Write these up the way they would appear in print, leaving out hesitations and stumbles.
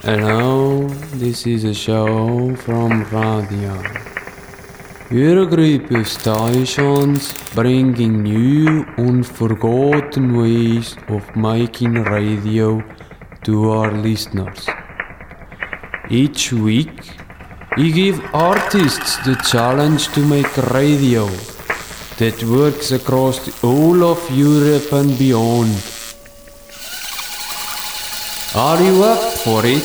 Hello, this is a show from radio. We're a group of stations bringing new, unforgotten ways of making radio to our listeners. Each week, we give artists the challenge to make radio that works across the whole of Europe and beyond. Are you up for it?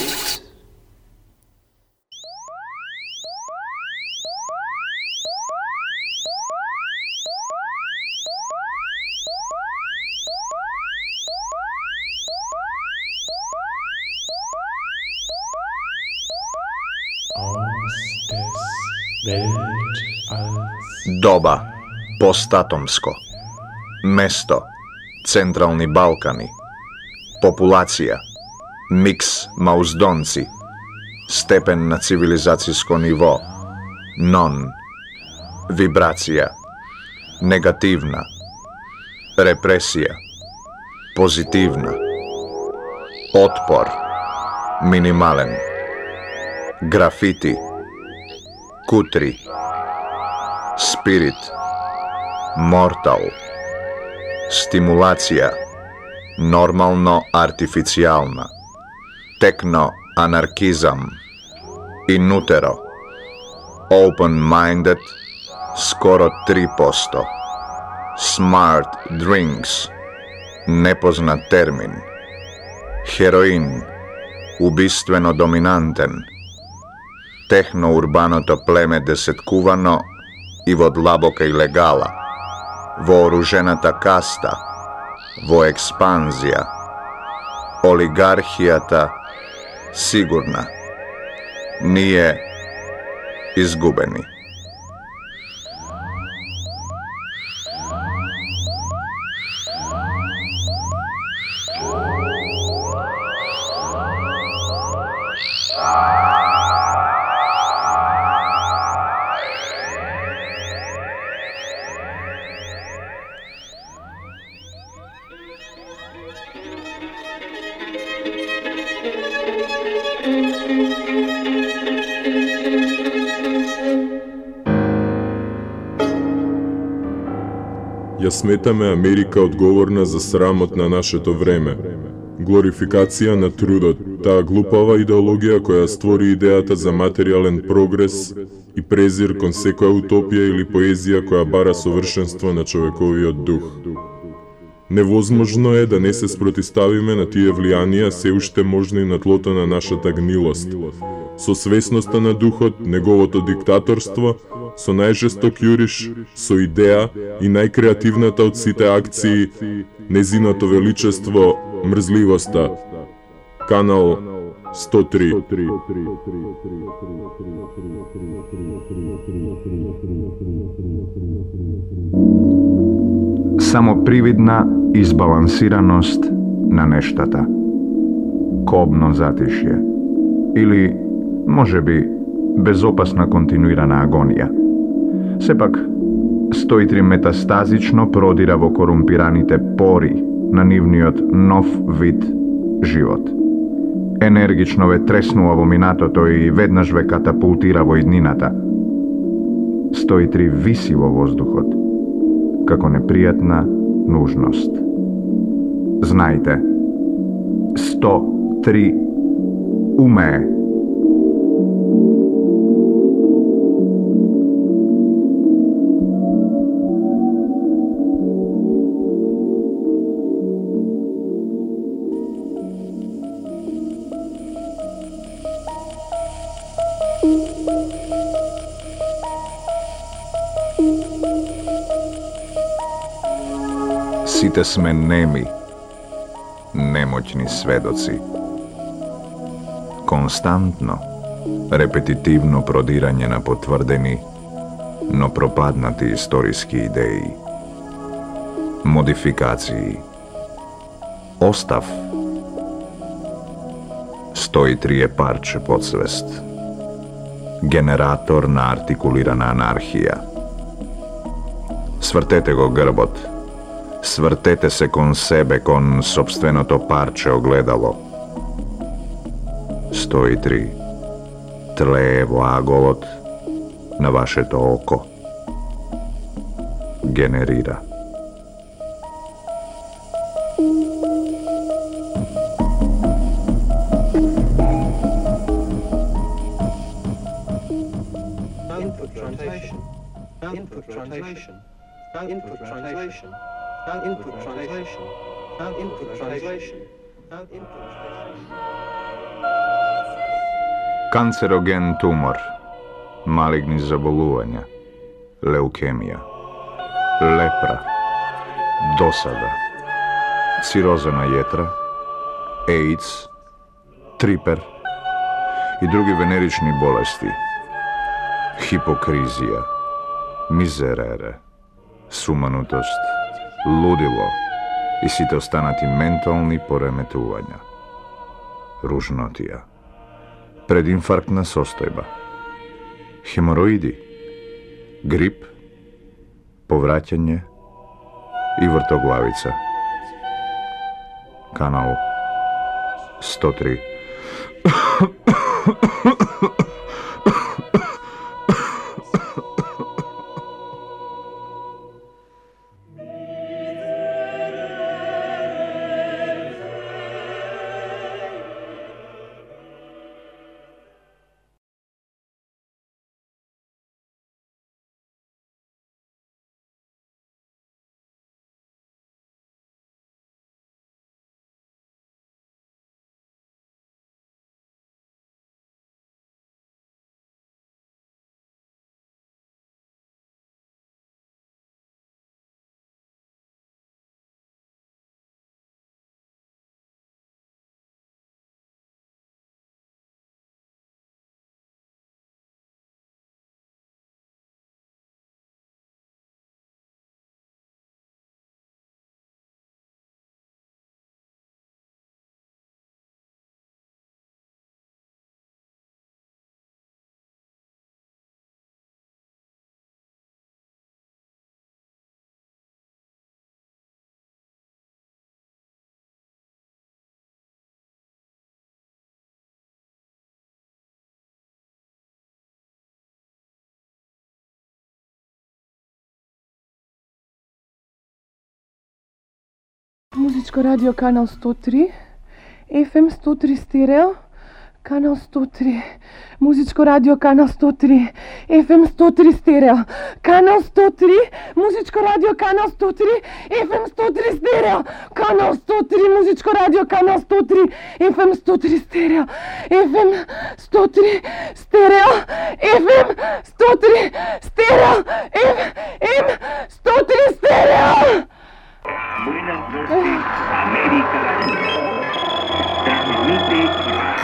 Доба, постатомско. Место, Централни Балкани. Популација, микс мауздонци. Степен на цивилизацијско ниво, нон. Вибрација, негативна. Репресија, позитивна. Отпор, минимален. Графити, кутри. Спирит, мортал. Стимулација, нормално артифицијална. Техно анаркизам. Инутеро. Open-minded, скоро 3%. Smart drinks, непознат термин. Хероин, убиствено доминантен. Техно-урбаното племе десеткувано и во длабока илегала, вооружената каста, во експанзија, олигархијата сигурна, ние изгубени. Ја сметаме Америка одговорна за срамот на нашето време. Глорификација на трудот, таа глупава идеологија која створи идејата за материјален прогрес и презир кон секоја утопија или поезија која бара совршенство на човековиот дух. Невозможно е да не се спротиставиме на тие влијанија се уште можни на тлото на нашата гнилост. Со свесноста на духот, неговото диктаторство, со најжесток јуриш, со идеја и најкреативната од сите акции, незиното величество, мрзливоста. Канал 103. Само привидна избалансираност на нештата. Кобно затишје. Или, можеби, безопасна континуирана агонија. Сепак, 103 метастазично продира во корумпираните пори на нивниот нов вид живот. Енергично ве треснува во минатото и веднаш ве катапултира во иднината. 103 виси во воздухот, како непријатна нужност. Знајте, 103 умее. Сите сме неми, немоćни сведоци. Константно, репетитивно продирање на потврдени, но пропаднати историски идеи. Модификации. Остав. 103 е парче подсвест. Генератор на артикулирана анархија. Свртете го грбот. Свртете се кон себе, кон собственото парче огледало. 103. Тлее во аголот на вашето око. Генерира. Input translation. Input translation. Input translation. Input translation. Input translation. Канцероген тумор, малигни заболувања, леукемија, лепра, досада, цироза на јетра, AIDS, трипер и други венерични болести, хипокризија, мизерере, суманутост, лудило и сите останати ментални пореметувања, ружнотија, прединфарктна состојба, хемороиди, грип, повраќање и вртоглавица. Канал 103. Музичко радио канал 103, FM 103 стерео, канал 103. Музичко радио канал 103, FM 103 стерео, канал 103. Музичко радио канал 103, FM 103 стерео, канал 103. Музичко радио канал 103, FM 103 стерео, FM 103 стерео, FM 103 стерео, FM 103 стерео. Buenas noches, América. Transmite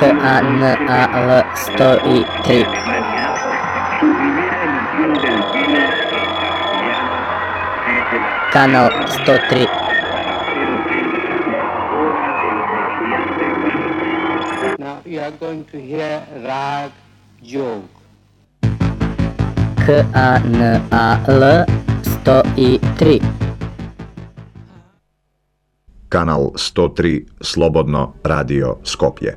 KANAL 103. Su primera emisión del día Канал 103. Now you are going to hear Rag Jog. KANAL 103. Канал 103 Слободно радио Скопје.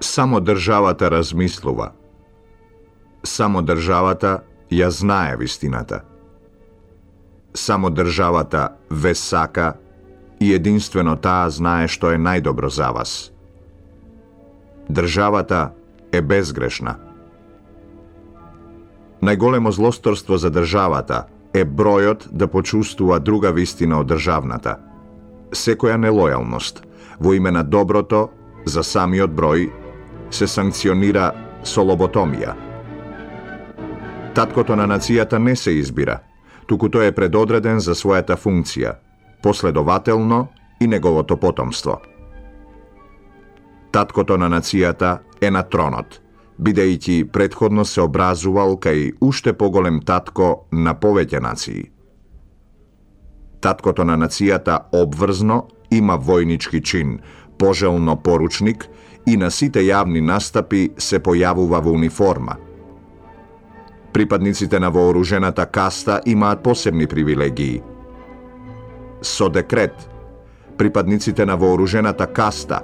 Само државата размислува. Само државата ја знае вистината. Само државата ве сака и единствено таа знае што е најдобро за вас. Државата е безгрешна. Најголемо злосторство за државата е бројот да почувствува друга вистина од државната. Секоја нелојалност во име на доброто за самиот број се санкционира со лоботомија. Таткото на нацијата не се избира, туку тој е предодреден за својата функција, последователно и неговото потомство. Таткото на нацијата е на тронот, бидејќи претходно се образувал кај уште поголем татко на повеќе нации. Таткото на нацијата обврзно има војнички чин, пожелно поручник и на сите јавни настапи се појавува во униформа, Припадниците на вооружената каста имаат посебни привилегии. Со декрет, припадниците на вооружената каста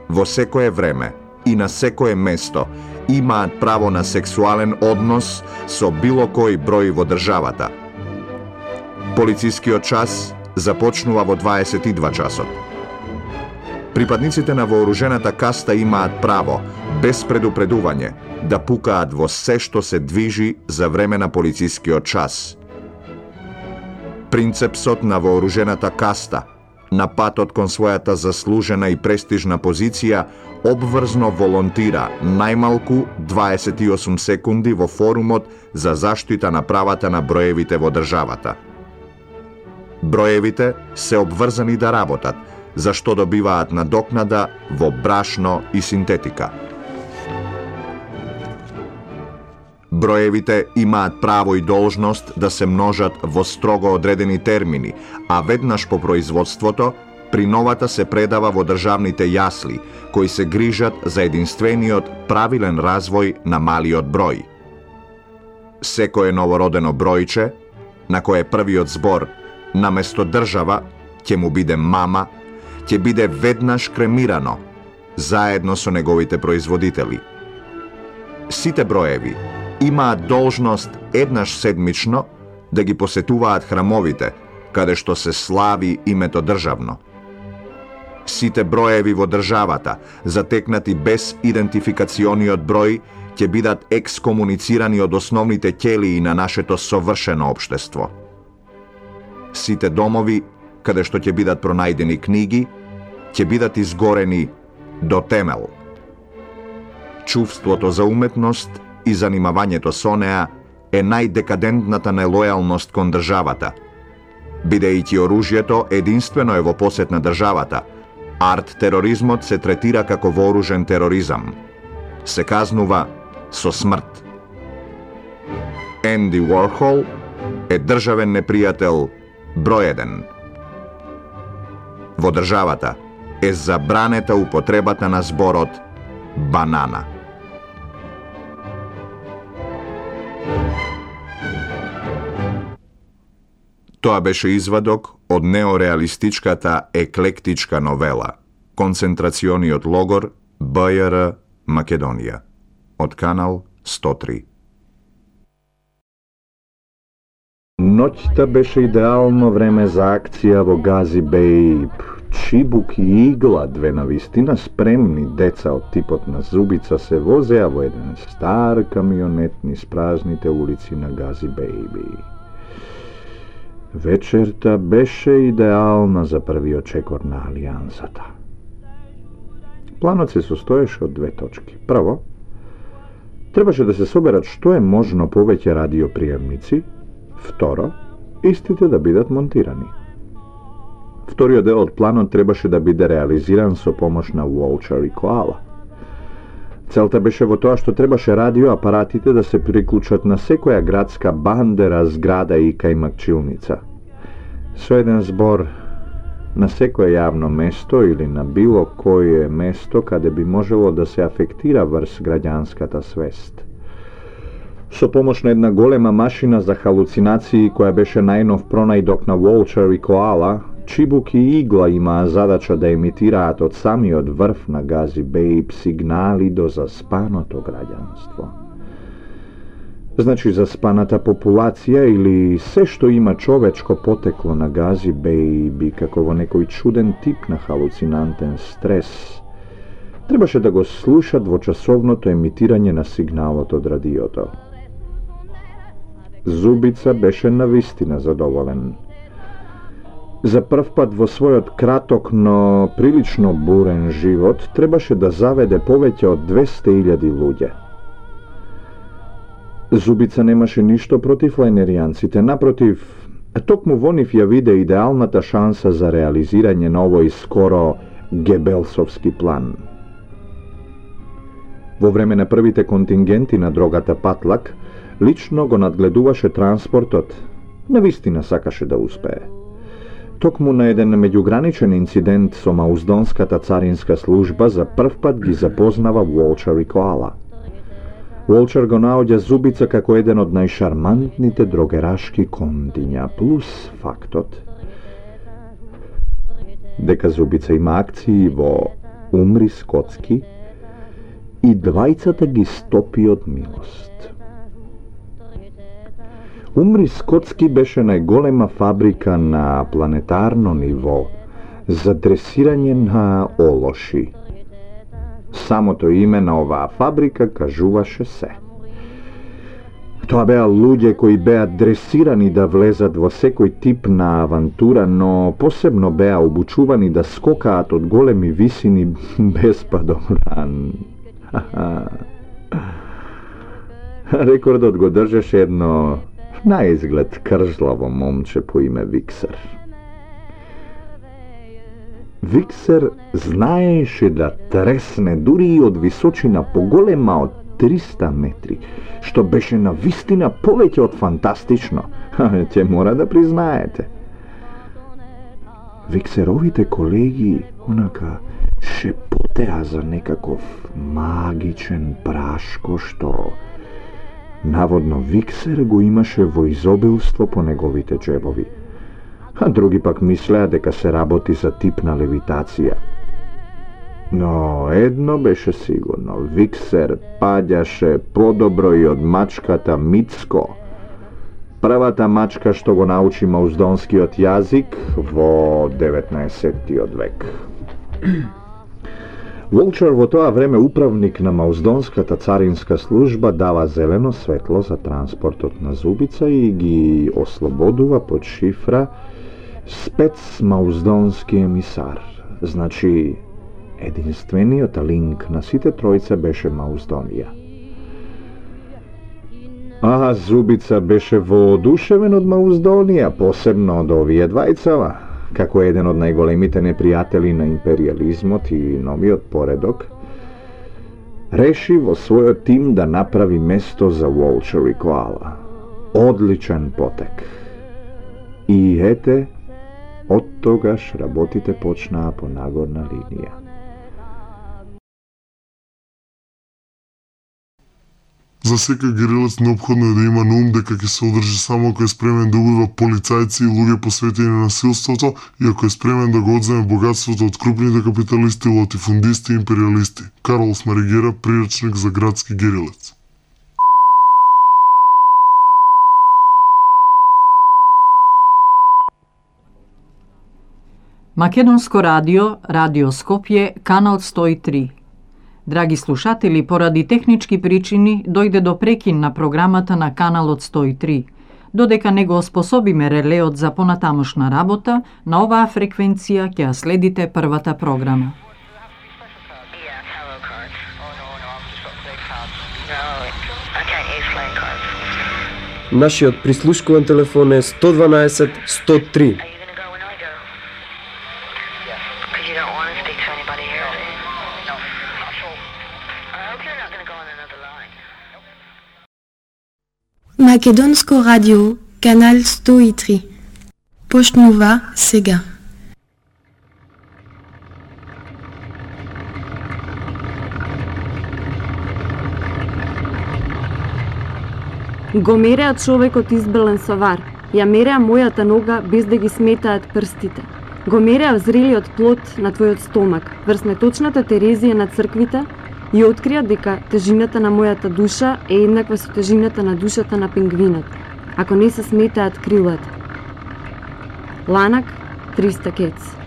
во секое време и на секое место имаат право на сексуален однос со било кој број во државата. Полицискиот час започнува во 22 часот. Припадниците на вооружената каста имаат право, без предупредување, да пукаат во се што се движи за време на полицискиот час. Принцепсот на вооружената каста, на патот кон својата заслужена и престижна позиција, обврзно волонтира најмалку 28 секунди во форумот за заштита на правата на броевите во државата. Броевите се обврзани да работат, за што добиваат надокнада во брашно и синтетика. Броевите имаат право и должност да се множат во строго одредени термини, а веднаш по производството, приновата се предава во државните јасли, кои се грижат за единствениот правилен развој на малиот број. Секое новородено бројче, на кое првиот збор наместо држава ќе му биде мама, ќе биде веднаш кремирано, заедно со неговите производители. Сите броеви имаат должност еднаш седмично да ги посетуваат храмовите, каде што се слави името државно. Сите броеви во државата, затекнати без идентификациониот број, ќе бидат екскомуницирани од основните ќелии на нашето совршено општество. Сите домови, каде што ќе бидат пронајдени книги, ќе бидат изгорени до темел. Чувството за уметност и занимавањето со неа е најдекадентната нелојалност кон државата. Бидејќи оружјето единствено е во посет на државата, арт-тероризмот се третира како вооружен тероризам. Се казнува со смрт. Енди Уорхол е државен непријател број 1. Во државата е забранета употребата на зборот банана. Тоа беше извадок од неореалистичката еклектичка новела Концентрациониот логор БЈР Македонија од канал 103. Ноќта беше идеално време за акција во Гази Бејб. Чибук и Игла, две навистина спремни деца од типот на Зубица, се возеа во еден стар камионет низ празните улици на Гази Бејби. Вечерта беше идеална за првиот чекор на Алијансата. Планот се состоеше од две точки. Прво, требаше да се соберат што е можно повеќе радиоприемници. Второ, истите да бидат монтирани. Вториот дел од планот требаше да биде реализиран со помош на Волчар и Коала. Целта беше во тоа што требаше радиоапаратите да се приклучат на секоја градска бандера, зграда и кајмакчилница. Со еден збор, на секое јавно место или на било кое место каде би можело да се афектира врз граѓанската свест. Со помош на една голема машина за халуцинации која беше најнов пронајдок на Волчар и Коала, Чибук и Игла имаа задача да емитираат од самиот врв на Гази Бејб сигнали до заспаното граѓанство. Значи заспаната популација или се што има човечко потекло на Гази Бејб како во некој чуден тип на халуцинантен стрес, требаше да го слушат во часовното емитирање на сигналот од радиото. Зубица беше навистина задоволен. За прв пат во својот краток, но прилично бурен живот, требаше да заведе повеќе од 200.000 луѓе. Зубица немаше ништо против лајнеријанците, напротив, токму во нив ја виде идеалната шанса за реализирање на овој скоро гебелсовски план. Во време на првите контингенти на дрогата Патлак, лично го надгледуваше транспортот, навистина сакаше да успее. Токму на еден меѓуграничен инцидент со Мауздонската царинска служба за прв пат ги запознава Волчар и Коала. Волчер го наоѓа Зубица како еден од најшармантните дрогерашки кондиња, плюс фактот дека Зубица има акции во Умри Скотски и двајцата ги стопи од милост. Умри Скотски беше најголема фабрика на планетарно ниво за дресирање на олоши. Самото име на оваа фабрика кажуваше се. Тоа беа луѓе кои беа дресирани да влезат во секој тип на авантура, но посебно беа обучувани да скокаат од големи висини без падомран. Рекордот го држеше едно наизглед кржлаво момче по име Виксер. Виксер знаеше да тресне дури и од височина поголема од 300 метри, што беше на вистина повеќе од фантастично. Ќе мора да признаете. Виксеровите колеги онака шепотеа за некаков магичен прашко што наводно Виксер го имаше во изобилство по неговите джебови. А други пак мислеа дека се работи за тип на левитација. Но едно беше сигурно, Виксер паѓаше подобро и од мачката Мицко, првата мачка што го научи мауздонскиот јазик во 19-тиот век. Волчер во тоа време управник на мауздонската царинска служба дава зелено светло за транспортот на Зубица и ги ослободува под шифра спецмауздонски емисар. Значи, единствениот линк на сите тројца беше Мауздонија. А Зубица беше воодушевен од Мауздонија, посебно од овие двајцава, како еден од најголемите непријатели на империализмот и новиот поредок, реши во својот тим да направи место за Волчер и Коала. Одличен потек. И ете, од тогаш работите почнаа по нагорна линија. За секој герилец неопходно е да има на ум дека ќе се одржи само ако е спремен да убива полицајци и луѓе посветени на насилството и ако е спремен да го одземе богатството од крупните капиталисти, латифундисти и империалисти. Карлос Маригера, приречник за градски герилец. Македонско радио, Радио Скопје, канал 103. Драги слушатели, поради технички причини дојде до прекин на програмата на каналот 103. Додека не го оспособиме релеот за понатамошна работа, на оваа фреквенција ќе ја следите првата програма. Нашиот прислушкуван телефон е 112 103. Македонско радио, канал 103. Почнува сега. Го мереа човекот избелен со вар. Ја мереа мојата нога без да ги сметаат прстите. Го мереа зрелиот плод на твојот стомак, врз меточната Терезија на црквите, и открија дека тежината на мојата душа е еднаква со тежината на душата на пингвинот, ако не се сметаат крилата. Ланак, 300 кец.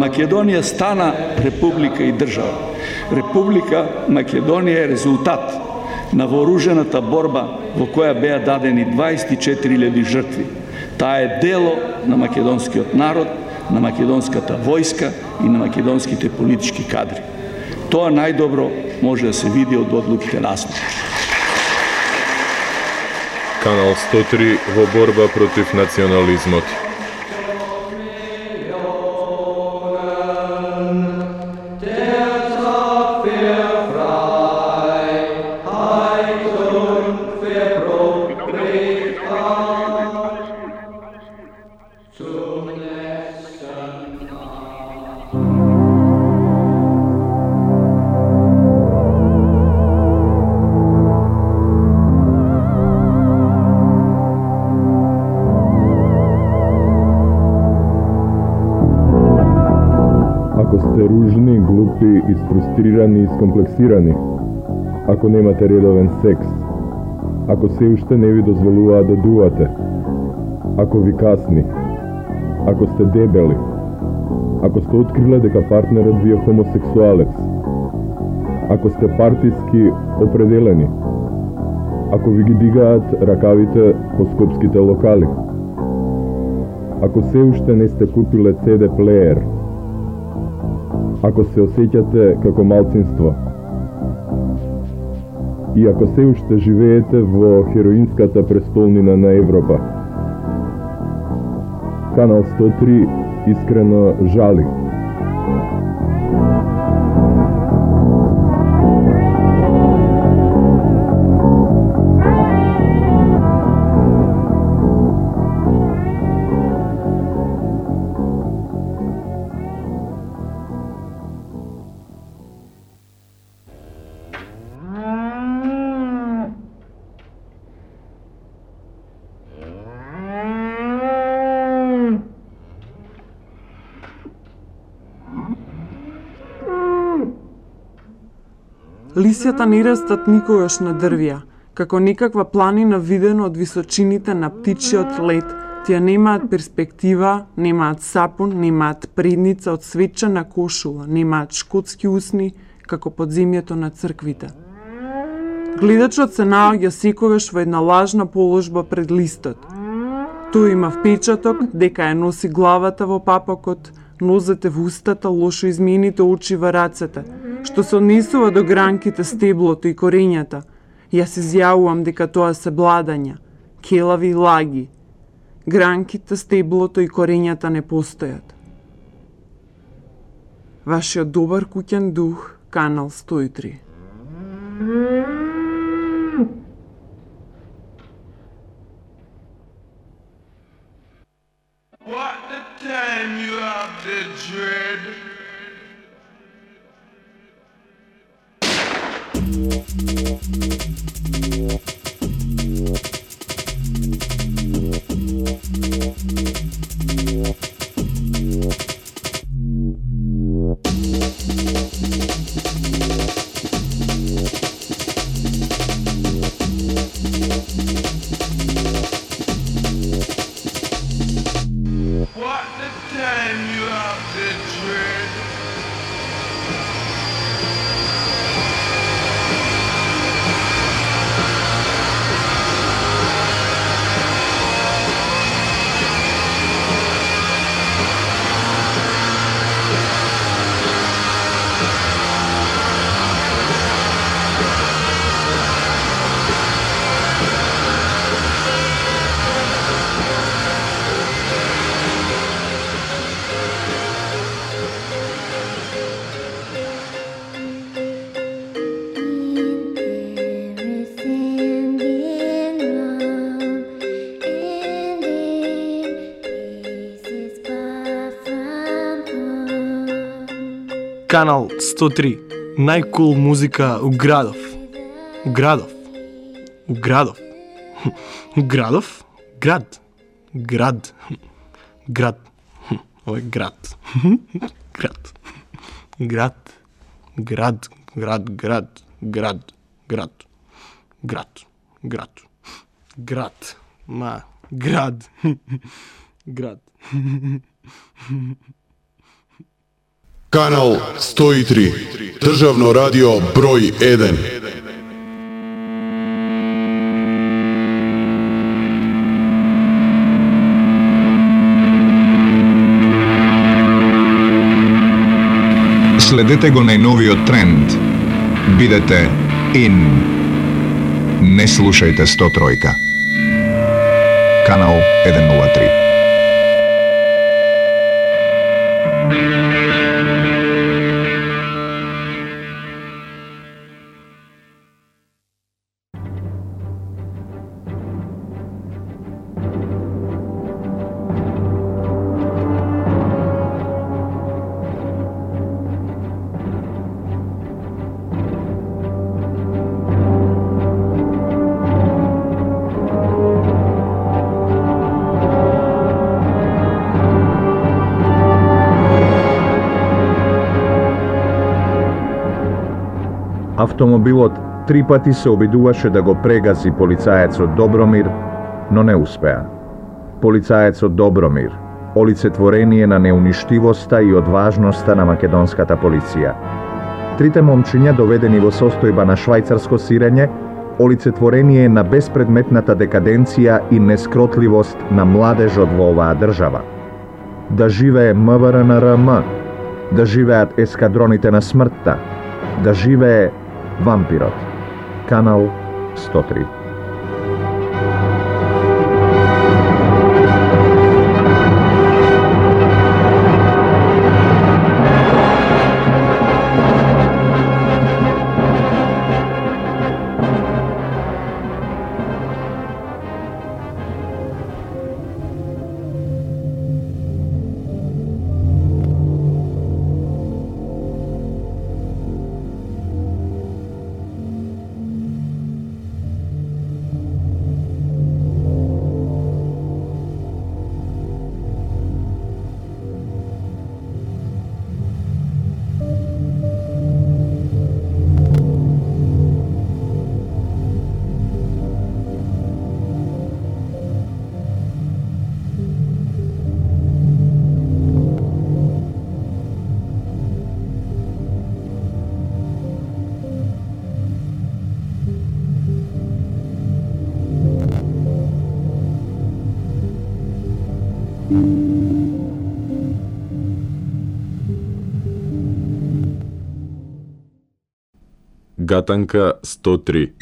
Македонија стана република и држава. Република Македонија е резултат на вооружената борба во која беа дадени 24.000 жртви. Таа е дело на македонскиот народ, на македонската војска и на македонските политички кадри. Тоа најдобро може да се види од одлуките насно. Канал 103 во борба против национализмот. Ако сте ружни, глупи, изфрустрирани и скомплексирани, ако немате редовен секс, ако се уште не ви дозволуваат да дувате, ако ви касни, ако сте дебели, ако сте откриле дека партнерот ви е хомосексуалец, ако сте партиски определени, ако ви ги дигаат ракавите по скопските локали, ако се уште не сте купиле CD плеер, ако се осеќате како малцинство и ако се уште живеете во хероинската престолнина на Европа, Канал 103 искрено жали. Лисјата не растат никогаш на дрвја, како некаква планина видено од височините на птичиот лет. Тие немаат перспектива, немаат сапун, немаат предница од свечена кошула, немаат шкотски усни, како подземјето на црквите. Гледачот се наоѓа секогаш во една лажна положба пред листот. Тој има впечаток дека ја носи главата во папакот, нозете во устата, лошо измените очи во рацете, што се однесува до гранките, стеблото и корењата. Јас изјавувам дека тоа се бладања, келави лаги. Гранките, стеблото и корењата не постојат. Вашиот добар куќен дух, Канал 103. What the time you have the dread? What the time you have the dread? Канал 103. Најкул музика у градов. Градов. Градов. Градов. Град. Град. Град. Ова е град. Град. Град. Град. Град. Град. Град. Град. Град. Град. Град. Ма. Град. Град. Канал 103. Државно радио број 1. Следете го најновиот тренд. Бидете ин. Не слушајте 103. канал 103. Автомобилот 3 пати се обидуваше да го прегази полицаецот Добромир, но не успеа. Полицаецот Добромир, олицетворение на неуништивоста и одважноста на македонската полиција. Трите момчиња доведени во состојба на швајцарско сирење, олицетворение на беспредметната декаденција и нескротливост на младежот во оваа држава. Да живее МВР-НРМ, да живеат ескадроните на смртта, да живее Вампирот. Канал 103. Гатанка 103.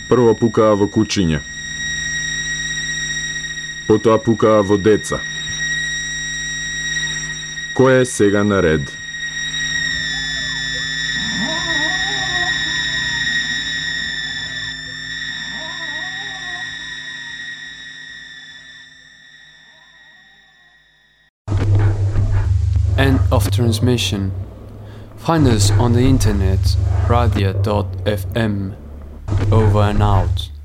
Прво пукаа во кучиња. Потоа пукаа во деца. Кој е сега на ред? End of transmission. Find us on the internet, radio.fm. Over and out.